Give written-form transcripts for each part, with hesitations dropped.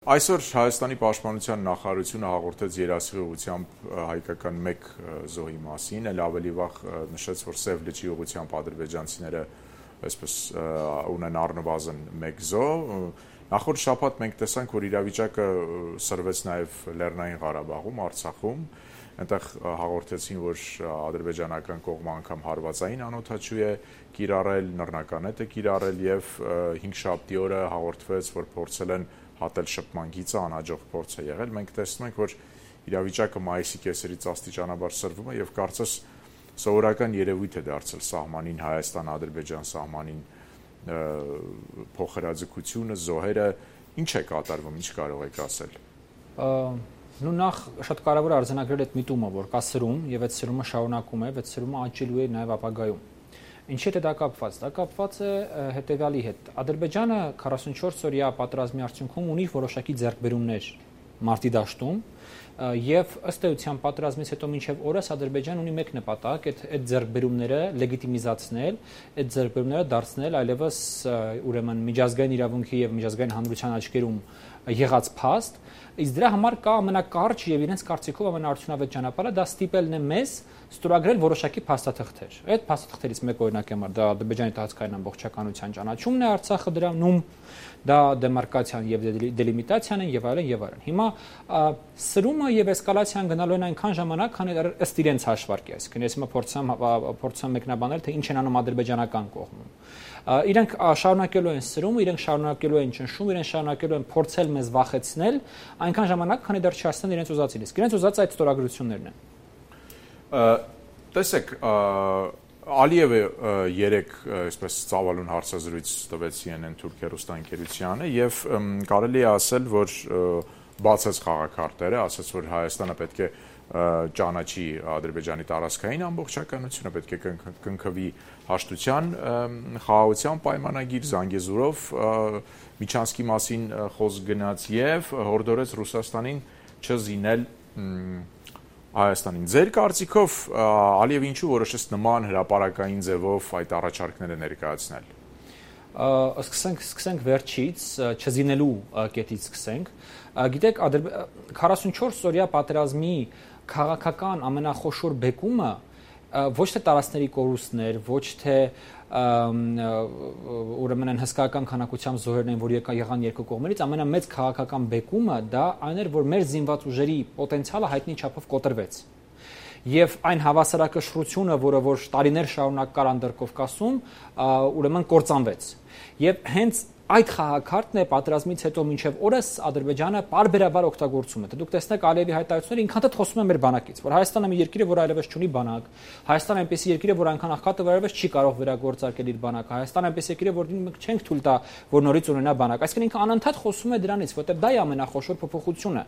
Այսօր Հայաստանի պաշտպանության նախարարությունը հաղորդեց երասխի ուղղությամբ հայկական մեկ զոհի մասին, էլ ավելի վաղ նշեց, որ Սև լճի ուղղությամբ ադրբեջանցիները այսպես ունեն առնվազն մեկ զոհ։ Նախորդ շաբաթ մենք տեսանք, որ իրավիճակը սրվեց նաև Լեռնային Ղարաբաղում, Արցախում, այնտեղ հաղորդեցին, որ ադրբեջանական կողմը անգամ հարվածային անօդաչու է կիրառել, նռնականետ է կիրառել եւ 5 շաբթի օրը հաղորդվեց, որ փորձել են հատել շփման գիծը, անհաջող փորձ է եղել։ Մենք տեսնում ենք, որ իրավիճակը մայիսի կեսերից աստիճանաբար սրվում է եւ կարծես սովորական երևույթ է դարձել սահմանին Հայաստան-Ադրբեջան սահմանին փոխհրաձգությունը, զոհերը, ինչ է կատարվում, ինչ կարող եք ասել։ Նախ շատ կարևոր է արձանագրել այդ միտումը, որ կա սրում եւ այդ սրումը շարունակում է, այդ սրումը աճելու է նաեւ ապագայում։ Ինչի՞ է դա կապված։ Դա կապված է հետեւյալի հետ։ Ադրբեջանը 44 օրյա պատերազմի արդյունքում ունի որոշակի ձեռքբերումներ մարտի դաշտում եւ ըստ էության պատերազմից հետո մինչեւ օրս Ադրբեջանը ունի մեկ նպատակ, այդ ձեռքբերումները լեգիտիմիզացնել, այդ ձեռքբերումները դարձնել այլևս ուրեմն միջազգային իրավունքի եւ միջազգային հանրության աչքերում եղած փաստ, իսկ դրա համար կա ամենակարճ եւ իրենց կարծիքով ամենաարդյունավետ ճանապարհը դա ստիպելն է մեզ ստորագրել որոշակի փաստաթղթեր։ Այդ փաստաթղթերից մեկ օրինակ եմ դա Ադրբեջանի տարածքային ամբողջականության ճանաչումն է Արցախը դրանում, դա դեմարկացիան եւ դելիմիտացիան են եւ այլն եւ այլն։ Հիմա սրումը եւ էսկալացիան գնալու են այնքան ժամանակ, քանի դեռ ըստ իրենց հաշվարկի, այսինքն ես հիմա փորձեմ մեկնաբանել, թե ինչ են անում ադրբեջանական կողմում։ Իրենք շարունակելու են սրումը, իրենք շարունակելու են ճնշում, իրենք շարունակելու են փորձել մեզ վախեցնել, այնքան ժամանակ, քանի դեռ չհասնեն իրենց ուզածին։ Իսկ իրենց ուզածը այդ ստորագրություններն են։ Տեսեք, Ալիևը երեք այսպես ծավալուն հարցազրույց տվեց CNN թուրք հեռուստաընկերությանը եւ կարելի է ասել, որ բացեց խաղաքարտերը, ասաց, որ Հայաստանը պետք է ճանաչի Ադրբեջանի տարածքային ամբողջականությունը, պետք է կնքվի հաշտության խաղաղության պայմանագիր, Զանգեզուրով Միչանսկի մասին խոսք գնաց եւ հորդորեց Ռուսաստանին չզինել Հայաստանին։ Ձեր կարծիքով Ալիևը ինչու որոշեց նման հրապարակային ձևով այդ առաջարկները ներկայացնել։ Սկսենք վերջից, չզինելու կետից սկսենք։ Գիտեք, 44 օրյա պատերազմի քաղաքական ամենախոշոր բեկումը ոչ թե տարածքների կորուստներ, ոչ թե ուրեմն հսկայական քանակությամբ զոհերն են, որ եղան երկու կողմերից, ամենամեծ քաղաքական բեկումը դա այն էր, որ մեր զինված ուժերի պոտենցիալը հայտնի չափով կոտրվեց։ Եվ այն հավասարակշռությունը, որը որ տարիներ շարունակ կար Անդրկովկասում, ուրեմն կործանվեց։ Եվ հենց այդ խաղաքարտն է պատերազմից հետո մինչև օրս Ադրբեջանը պարբերաբար օգտագործում է։ Դուք տեսնեք Ալիևի հայտարարությունները ինքնաթիռ խոսում են մեր բանակից, որ Հայաստանը մի երկիր է, որ այլևս չունի բանակ, Հայաստանը այնպեսի երկիր է, որ այնքան աղքատ է, որ այլևս չի կարող վերագործարկել իր բանակը, Հայաստանը այնպեսի երկիր է, որ մենք չենք թույլ տա, որ նորից ունենա բանակ։ Այսինքն ինքը անընդհատ խոսում է դրանից, որտեղ դա է ամենախոշոր փոփոխությունը։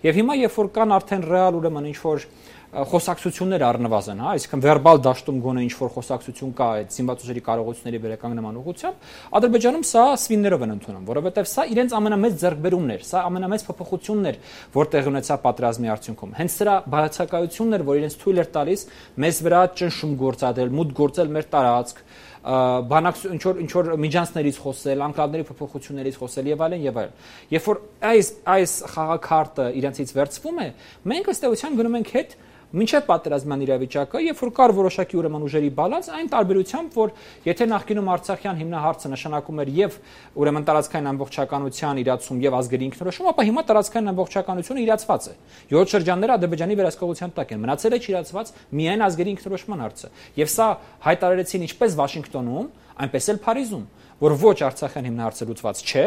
Եվ հիմա երբ որ կան արդեն ռեալ ուրեմն ինչ որ խոսակցություններ առնվազն, հա, այսինքն վերբալ դաշտում գոնե ինչ որ խոսակցություն կա այդ զինված ուժերի կարողությունների վերականգնման ուղղությամբ, Ադրբեջանում սա սվիններով են ընդունում, որովհետև սա իրենց ամենամեծ ձեռքբերումն էր, սա ամենամեծ փոփոխությունն էր, որ տեղի ունեցավ պատերազմի արդյունքում։ Հենց սրա բացակայությունն էր, որ իրենց թույլ էր տալիս մեզ վրա ճնշում գործադրել, մուտք գործել մեր տարածք, բանակ ինչ որ միջանցներից խոսել, անկալների փոփոխություններից խոսել եւ այլն եւ այլն։ Երբ որ այս խաղաքարտը իրենցից վերցվում է, մենք ըստ էության գնում ենք հետ մինչև պատերազմյան իրավիճակը, երբ որ կար որոշակի ուրեմն ուժերի բալանս, այն տարբերությամբ, որ եթե նախկինում Արցախյան հիմնահարցը նշանակում էր եւ ուրեմն տարածքային ամբողջականության իրացում եւ ազգերի ինքնորոշում, ապա հիմա տարածքային ամբողջականությունը իրացված է։ 7 շրջանները Ադրբեջանի վերահսկողության տակ են։ Մնացել է չիրացված միայն ազգերի ինքնորոշման հարցը։ Եվ սա հայտարարեցին ինչպես Վաշինգտոնում, այնպես էլ Փարիզում, որ ոչ Արցախյան հիմնահարցը լուծված չէ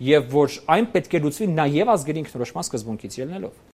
եւ որ այն պետք է լուծվի նաեւ ազգերի ինքնորոշման սկզբունքից ելնելով։